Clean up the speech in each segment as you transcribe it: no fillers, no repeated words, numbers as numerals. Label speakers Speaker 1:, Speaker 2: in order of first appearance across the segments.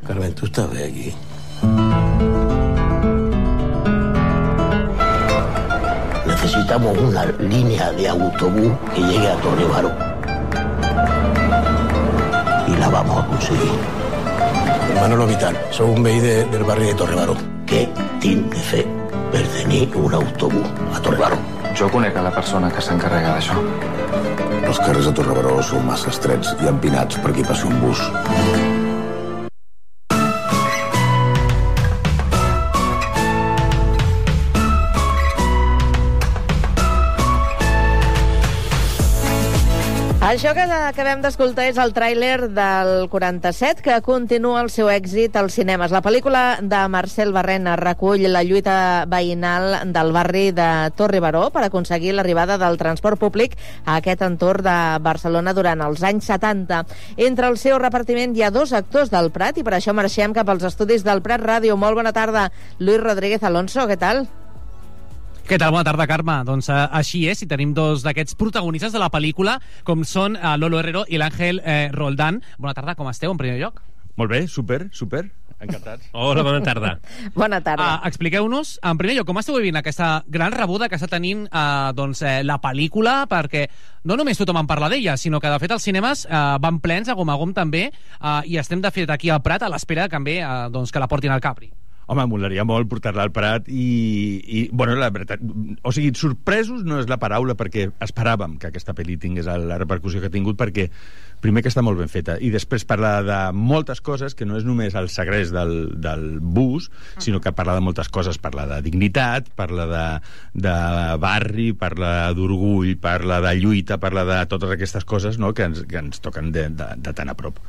Speaker 1: Carmen, ¿tú estás bien aquí? Necesitamos una línea de autobús que llegue a Torrebaró. Y la vamos a conseguir. Manolo Vital, soy un veí del barrio de Torrebaró. Què tinc de fer per tenir un autobús a Torrebaró?
Speaker 2: Jo conec a la persona que s'encarrega d'això.
Speaker 3: Els carrers de Torrebaró són massa estrets i empinats per aquí passi un bus.
Speaker 4: Això que acabem d'escoltar és el tràiler del 47, que continua el seu èxit als cinemes. La pel·lícula de Marcel Barrena recull la lluita veïnal del barri de Torrebaró per aconseguir l'arribada del transport públic a aquest entorn de Barcelona durant els anys 70. Entre el seu repartiment hi ha 2 actors del Prat i per això marxem cap als estudis del Prat Ràdio. Molt bona tarda, Luis Rodríguez Alonso, què tal?
Speaker 5: Què tal? Bona tarda, Carme. Doncs així és, i tenim 2 d'aquests protagonistes de la pel·lícula, com són Lolo Herrero i l'Àngel Roldán. Bona tarda, com esteu, en primer lloc?
Speaker 6: Molt bé, super, encantats.
Speaker 7: Hola, bona tarda.
Speaker 4: Bona tarda.
Speaker 5: Expliqueu-nos, en primer lloc, com esteu vivint aquesta gran rebuda que està tenint la pel·lícula, perquè no només tothom en parla d'ella, sinó que, de fet, els cinemes van plens, a gom també, i estem, de fet, aquí al Prat a l'espera també que la portin al Capri.
Speaker 6: Home, molaria molt portar-la al Prat i bueno, la veritat, o sigui, sorpresos no és la paraula, perquè esperàvem que aquesta pel·li tingués la repercussió que ha tingut, perquè primer que està molt ben feta, i després parla de moltes coses, que no és només el segrest del bus, sinó que parla de moltes coses, parla de dignitat, parla de barri, parla d'orgull, parla de lluita, parla de totes aquestes coses, no?, que ens toquen de tan a prop.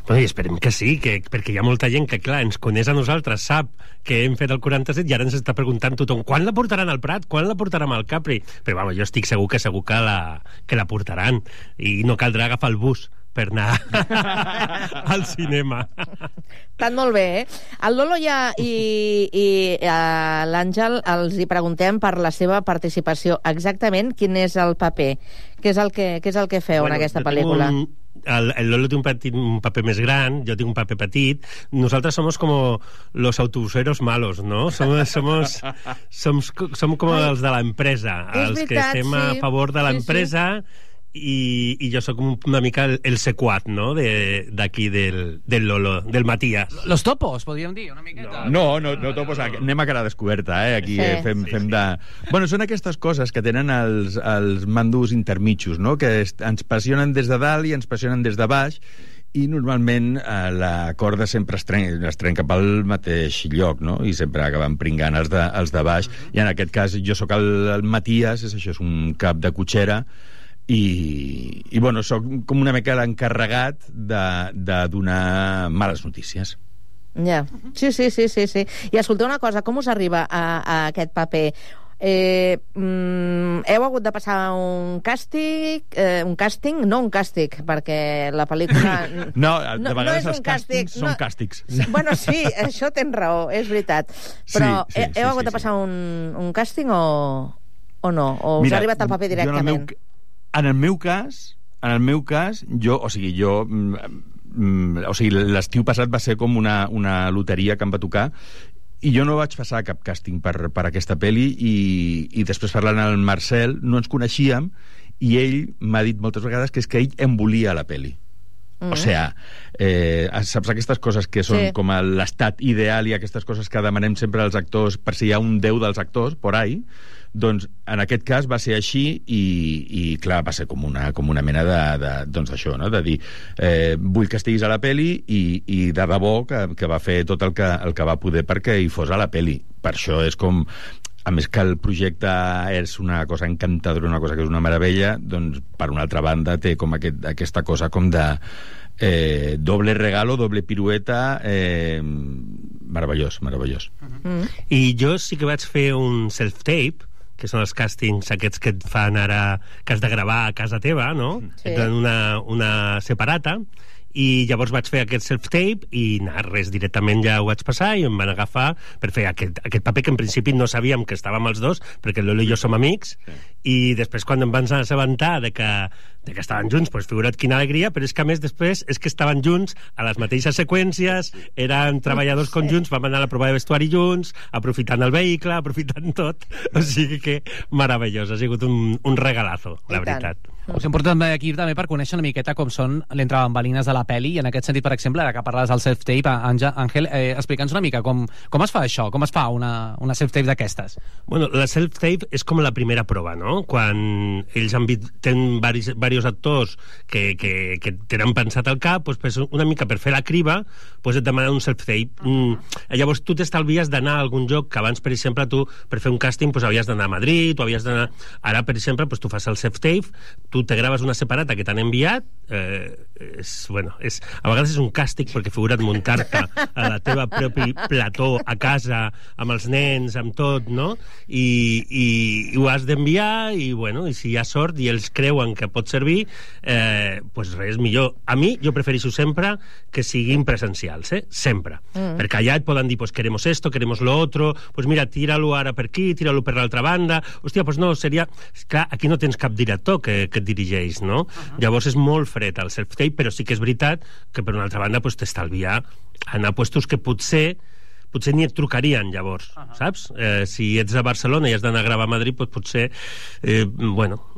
Speaker 7: Bueno, i esperem que sí, perquè hi ha molta gent que, clar, ens coneix a nosaltres, sap que hem fet el 47 i ara ens està preguntant tothom quan la portaran al Prat, quan la portaran al Capri, però bueno, jo estic segur que la portaran i no caldrà agafar el bus per anar al cinema.
Speaker 4: Estan molt bé, eh? El Lolo i l'Àngel els hi preguntem per la seva participació. Exactament quin és el paper? Què és el que feu en aquesta pel·lícula?
Speaker 7: El Lolo té un paper més gran, jo tinc un paper petit. Nosaltres somos como los autobuseros malos, ¿no? Som com els de l'empresa, els que estem a favor de l'empresa. I jo sóc una mica el sequat, no?, d'aquí del Lolo, del Matías.
Speaker 5: Los topos, podríem dir, una miqueta.
Speaker 6: No topos, anem a cara descoberta, aquí fem de... Bueno, són aquestes coses que tenen els mandos intermitjos, no?, que ens passionen des de dalt i ens passionen des de baix, i normalment la corda sempre es trenca pel mateix lloc, no?, i sempre acaben pringant els de baix, i en aquest cas jo sóc el Matías, és un cap de cotxera, i bueno, sóc com una mica l'encarregat de donar males notícies.
Speaker 4: Ja, sí. I escolteu una cosa, com us arriba a aquest paper? Heu hagut de passar un càstig, perquè la pel·lícula...
Speaker 6: No, de vegades
Speaker 4: no
Speaker 6: els càstigs són càstigs.
Speaker 4: Bueno, sí, això tens raó, és veritat. Però heu hagut de passar un càsting o no? O us ha arribat el paper directament?
Speaker 6: En el meu cas, l'estiu passat va ser com una loteria que em va tocar, i jo no vaig passar cap càsting per aquesta pel·li, i després parlant amb el Marcel no ens coneixíem, i ell m'ha dit moltes vegades que és que ell em volia a la pel·li. O sigui, saps aquestes coses que són com l'estat ideal i aquestes coses que demanem sempre als actors per si hi ha un déu dels actors por ahí, doncs en aquest cas va ser així, i clar, va ser com una mena d'això, no?, de dir vull que estiguis a la pel·li, i de debò que va fer tot el que va poder perquè hi fos a la pel·li. Per això és com... A més que el projecte és una cosa encantadora, una cosa que és una meravella, doncs per una altra banda té com aquesta cosa com de doble regalo, doble pirueta, meravellós.
Speaker 7: I jo sí que vaig fer un self-tape, que són els càstings aquests que et fan ara, que has de gravar a casa teva, no? Sí. Et donen una separata, i llavors vaig fer aquest self-tape i res, directament ja ho vaig passar i em van agafar per fer aquest paper que en principi no sabíem que estàvem els dos, perquè el Lolo i jo som amics, i després quan em van assabentar de que de que estaven junts, doncs figura't quina alegria, però és que a més després és que estaven junts a les mateixes seqüències, eren treballadors conjunts, vam anar a la prova de vestuari junts, aprofitant el vehicle, aprofitant tot, o sigui que meravellós, ha sigut un regalazo, la veritat.
Speaker 5: Us hem portat aquí també per conèixer una miqueta com són l'entrebambalines de la pel·li, i en aquest sentit, per exemple, ara que parles del self-tape, Àngel, explica'ns una mica com es fa això, com es fa una self-tape d'aquestes.
Speaker 7: Bueno, la self-tape és com la primera prova, no? Quan ells tenen diversos actors que tenen pensat al cap, doncs una mica per fer la criba, doncs et demanen un self-tape. Llavors tu t'estalvies d'anar a algun lloc que abans, per exemple, tu per fer un càsting doncs havies d'anar a Madrid, o havies d'anar... Ara, per exemple, doncs tu fas el self-tape, tu te graves una separata que t'han enviat, a vegades és un càstig perquè figura't muntar-te a la teva propi plató a casa, amb els nens, amb tot, no? I ho has d'enviar, i si hi ha sort i ells creuen que pot servir, doncs res, millor. A mi, jo prefereixo sempre que siguin presencials, sempre. Perquè allà et poden dir, pues queremos esto, queremos lo otro, pues mira, tira-lo ara per aquí, tira-lo per l'altra banda. Hòstia, pues no, seria... Clar, aquí no tens cap director que et dirigeix, no? Llavors és molt fred el self-tape, però sí que és veritat que per una altra banda pues, t'estalvia anar a puestos que potser ni et trucarien llavors, saps? Si ets a Barcelona i has d'anar a gravar a Madrid, doncs potser...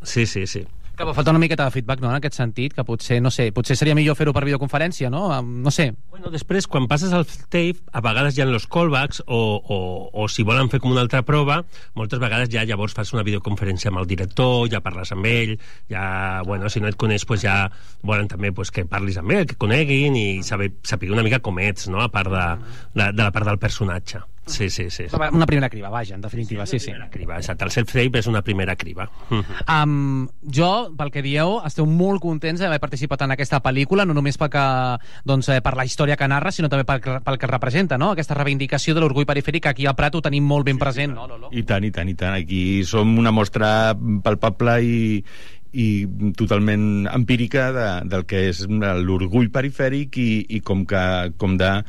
Speaker 7: sí.
Speaker 5: Que falta una miqueta de feedback, no?, en aquest sentit, que potser, no sé, potser seria millor fer-ho per videoconferència, no? No sé.
Speaker 7: Bueno, després, quan passes al tape, a vegades hi ha los callbacks, o si volen fer com una altra prova, moltes vegades ja llavors fas una videoconferència amb el director, ja parles amb ell, ja, si no et coneix, pues ja volen també pues, que parlis amb ell, que coneguin i saber una mica com ets, no?, a part de la part del personatge. Sí.
Speaker 5: Una primera criba, vaja, en definitiva, sí.
Speaker 7: Criba, exacte. El self-tape és una primera criba.
Speaker 5: Jo, pel que dieu, esteu molt contents d'haver participat en aquesta pel·lícula, no només per la història que narra, sinó també pel que representa, no? Aquesta reivindicació de l'orgull perifèric, que aquí al Prat ho tenim molt ben present, no, Lolo?
Speaker 6: I tant. Aquí som una mostra palpable i totalment empírica del que és l'orgull perifèric i com de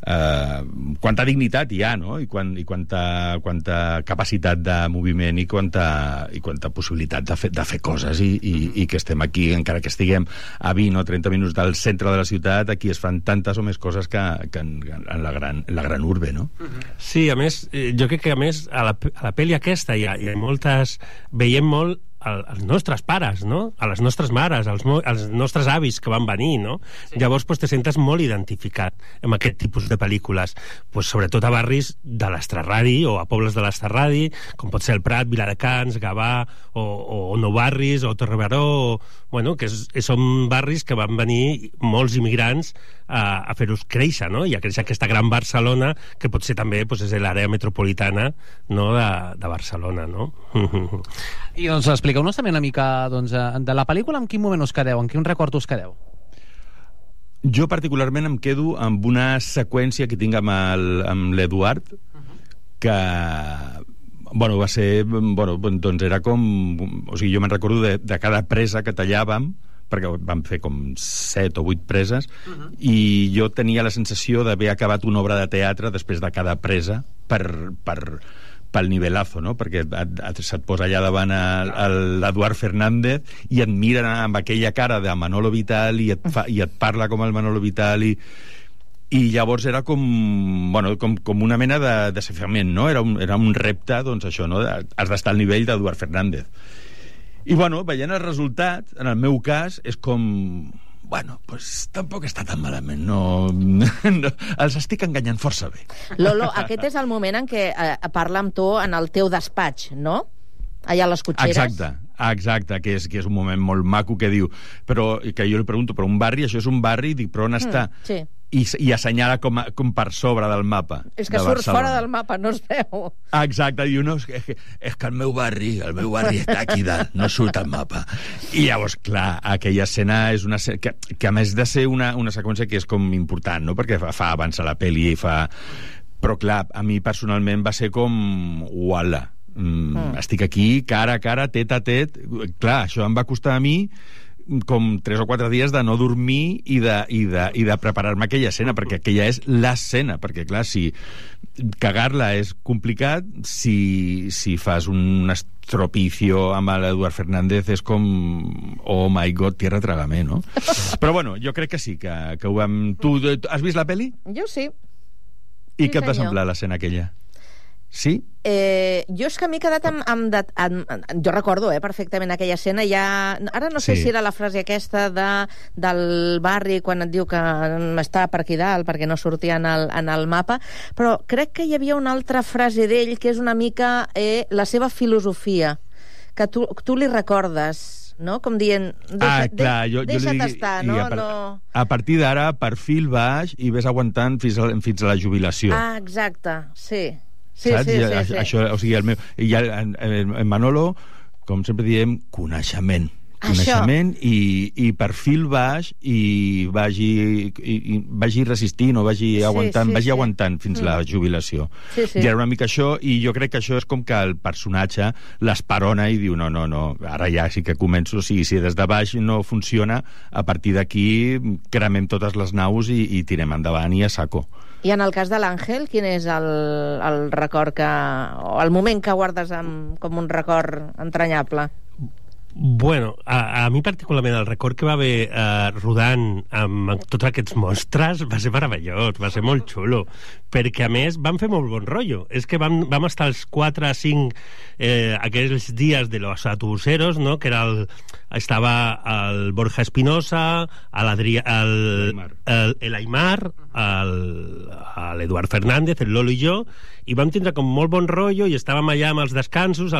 Speaker 6: quanta dignitat hi ha, no? I quanta capacitat de moviment i quanta possibilitat de fer coses i que estem aquí, encara que estiguem a 20 o 30 minuts del centre de la ciutat, aquí es fan tantes o més coses que en la gran urbe, no?
Speaker 7: Sí, a més, jo crec que a la pel·li aquesta hi ha moltes... Veiem molt als nostres pares, no? A les nostres mares, als nostres avis que van venir, no? Sí. Llavors te sentes molt identificat amb aquest tipus de pel·lícules, sobretot a barris de l'Estrarradi o a pobles de l'Estrarradi, com pot ser el Prat, Viladecans, Gavà o Nou Barris o Torrebaró, que són barris que van venir molts immigrants a fer-los créixer, no? I a créixer aquesta gran Barcelona, que potser també és l'àrea metropolitana, no? de Barcelona, no?
Speaker 5: I expliqueu-nos també una mica de la pel·lícula, en quin moment us quedeu, en quin record us quedeu?
Speaker 6: Jo particularment em quedo amb una seqüència que tinc amb l'Eduard, que va ser, era com, o sigui, jo me'n recordo de cada presa que tallàvem, perquè vam fer com 7 o 8 preses, i jo tenia la sensació d'haver acabat una obra de teatre després de cada presa pel nivelazo, no? Perquè se't posa allà davant l'Eduard Fernández i et miren amb aquella cara de Manolo Vital i et parla com el Manolo Vital i llavors era com una mena de desafiament, no? Era un repte, això, no? Has d'estar al nivell d'Eduard Fernández. I veient el resultat, en el meu cas, és com... tampoc està tan malament, no, els estic enganyant força bé.
Speaker 4: Lolo, aquest és el moment en què parla amb tu en el teu despatx, no? Allà a les cotxeres.
Speaker 6: Exacte, que és un moment molt maco que diu, però que jo li pregunto, però un barri, això és un barri, dic, però on està?
Speaker 4: Sí.
Speaker 6: I assenyala com per sobre del mapa.
Speaker 4: És que surt fora del mapa, no es veu.
Speaker 6: Exacte, diu, no, és que el meu barri està aquí dalt, no surt al mapa. I llavors, clar, aquella escena és una escena que a més de ser una seqüència que és com important, no? Perquè fa avançar la pel·li i fa... Però clar, a mi personalment va ser com... Uala, estic aquí, cara a cara, tet a tet. Clar, això em va costar a mi com 3 o 4 dies de no dormir i de preparar-me aquella escena, perquè aquella és l'escena, perquè clar, si cagar-la és complicat, si fas un estropicio amb l'Eduard Fernández és com, oh my god, tierra trágame, no? Però bueno, jo crec que sí, que ho vam... Tu has vist la peli?
Speaker 4: Jo sí.
Speaker 6: I què et va semblar l'escena aquella? Sí?
Speaker 4: Jo és que m'he quedat jo recordo perfectament aquella escena. Ara no sé si era la frase aquesta del barri quan et diu que està per aquí dalt perquè no sortia en el mapa, però crec que hi havia una altra frase d'ell que és una mica la seva filosofia, que tu li recordes, no? Com dient, deixa't estar, no?
Speaker 6: A partir d'ara, perfil baix i ves aguantant fins a la jubilació.
Speaker 4: Ah, exacte, sí.
Speaker 6: Saps? Sí. Això, o sigui, el Manolo, com sempre diem, coneixement i perfil baix i vagi resistint o vagi aguantant fins la jubilació. I era una mica això, i jo crec que això és com que el personatge l'esperona i diu, no, ara ja sí que començo, si des de baix no funciona, a partir d'aquí cremem totes les naus i tirem endavant i a saco.
Speaker 4: I en el cas de l'Àngel, quin és el record o el moment que guardes com un record entranyable?
Speaker 7: Bueno, a mi particularment el record que va haver rodant amb tots aquests monstres va ser meravellós, va ser molt xulo, perquè a més van fer molt bon rotllo. És que vam estar els 4 a 5 aquells dies de los autobuseros, no? Que era estava el Borja Espinosa, l'Aimar, l'Eduard Fernández, el Lolo i jo, i vam tindre com molt bon rotllo i estàvem allà amb els descansos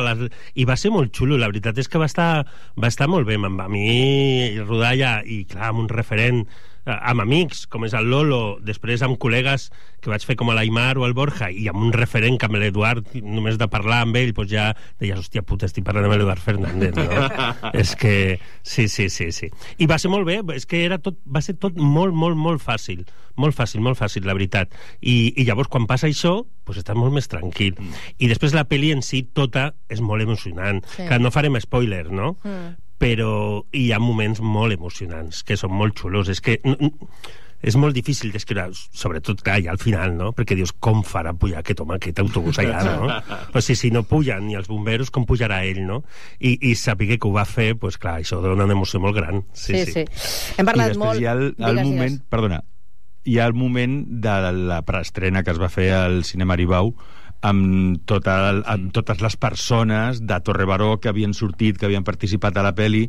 Speaker 7: i va ser molt xulo. La veritat és que va estar molt bé. A mi rodar allà, i clar, amb un referent, amb amics com és el Lolo, després amb col·legues que vaig fer com a l'Aimar o el Borja, i amb un referent que amb l'Eduard, només de parlar amb ell doncs ja deies, hòstia puta, estic parlant amb l'Eduard Fernández, no? És que sí. I va ser molt bé, és que va ser tot molt fàcil, la veritat. I llavors quan passa això doncs estàs molt més tranquil. I després la pel·li en si tota és molt emocionant, que no farem spoiler, no? Però hi ha moments molt emocionants que són molt xulos. És que és molt difícil d'escriure, sobretot clar, ja al final, no? Perquè dius, com farà pujar aquest autobús allà, no? O sigui, si no pugen ni els bomberos, com pujarà ell, no? I saber que ho va fer, doncs clar, això dona una emoció molt gran. Sí.
Speaker 4: Hem parlat molt...
Speaker 6: I després hi ha el moment, perdona, hi ha el moment de la preestrena que es va fer al Cinema Aribau amb totes les persones de Torrebaró que havien sortit, que havien participat a la pel·li,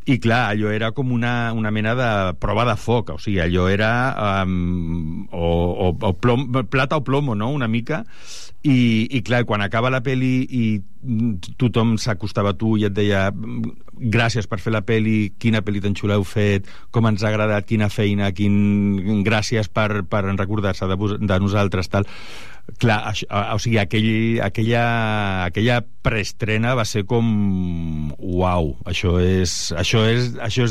Speaker 6: i clar, allò era com una mena de prova de foc, o sigui, allò era plata o plomo, no?, una mica, i clar, quan acaba la pel·li i tothom s'acostava a tu i et deia gràcies per fer la pel·li, quina pel·li tan xula heu fet, com ens ha agradat, quina feina, gràcies per recordar-se de nosaltres, tal. Clar, o sigui, aquella preestrena va ser com uau, això és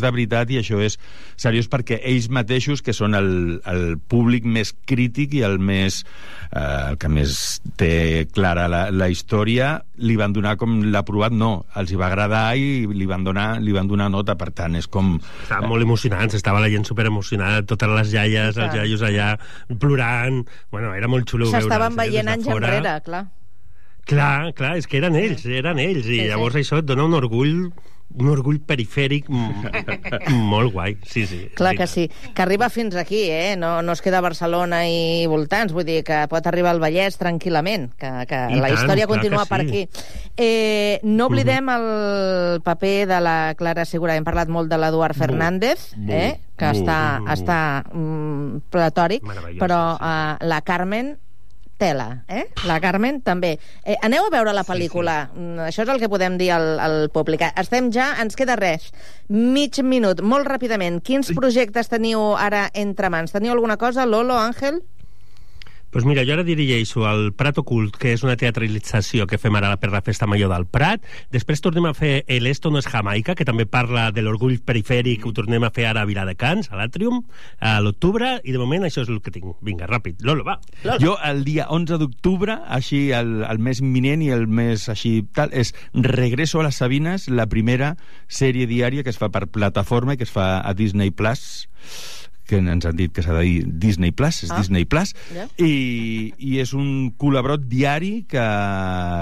Speaker 6: de veritat i això és seriós, perquè ells mateixos, que són el públic més crític i el que més té clara la història, li van donar com l'aprovat, no, els hi va agradar i li van donar nota, per tant, és com...
Speaker 7: Estaven molt emocionants, estava la gent superemocionada, totes les iaies, els iaios allà plorant, bueno, era molt xulo veure.
Speaker 4: S'estaven veient anys enrere, clar.
Speaker 7: Clar, és que eren ells, i llavors això et dona un orgull perifèric molt guai, sí.
Speaker 4: Clar que sí, que arriba fins aquí, no es queda a Barcelona i voltants, vull dir que pot arribar al Vallès tranquil·lament, que la història continua per aquí. No oblidem el paper de la Clara Segura, hem parlat molt de l'Eduard Fernández, que està platòric, però la Carmen tela, la Carmen també. Aneu a veure la pel·lícula, això és el que podem dir al públic. Ens queda res, mig minut, molt ràpidament. Quins projectes teniu ara entre mans? Teniu alguna cosa, Lolo, Àngel?
Speaker 7: Doncs mira, jo ara dirigeixo el Prat Ocult, que és una teatralització que fem ara per la Festa Major del Prat. Després tornem a fer El Esto no es Jamaica, que també parla de l'orgull perifèric, ho tornem a fer ara a Viladecans, a l'Àtrium, a l'octubre, i de moment això és el que tinc. Vinga, ràpid. Lolo, va.
Speaker 6: Jo el dia 11 d'octubre, així el més imminent i el més així tal, és Regreso a les Sabines, la primera sèrie diària que es fa per plataforma i que es fa a Disney Plus, que ens han dit que s'ha de dir Disney Plus, és Disney Plus, i és un culebrot diari que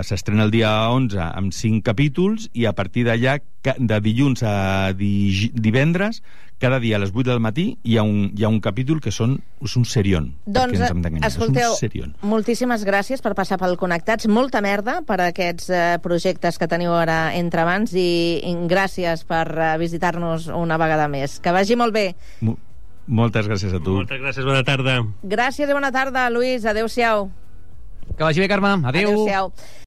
Speaker 6: s'estrena el dia 11 amb 5 capítols, i a partir d'allà, de dilluns a divendres, cada dia a les 8 del matí hi ha un capítol que és un serión.
Speaker 4: Doncs, escolteu, moltíssimes gràcies per passar pel Connectats. Molta merda per aquests projectes que teniu ara entre mans, i gràcies per visitar-nos una vegada més. Que vagi molt bé.
Speaker 6: Moltes gràcies a tu.
Speaker 7: Moltes gràcies, bona tarda.
Speaker 4: Gràcies i bona tarda, Lluís. Adéu-siau.
Speaker 5: Que vagi bé, Carme. Adéu.
Speaker 4: Adéu-siau.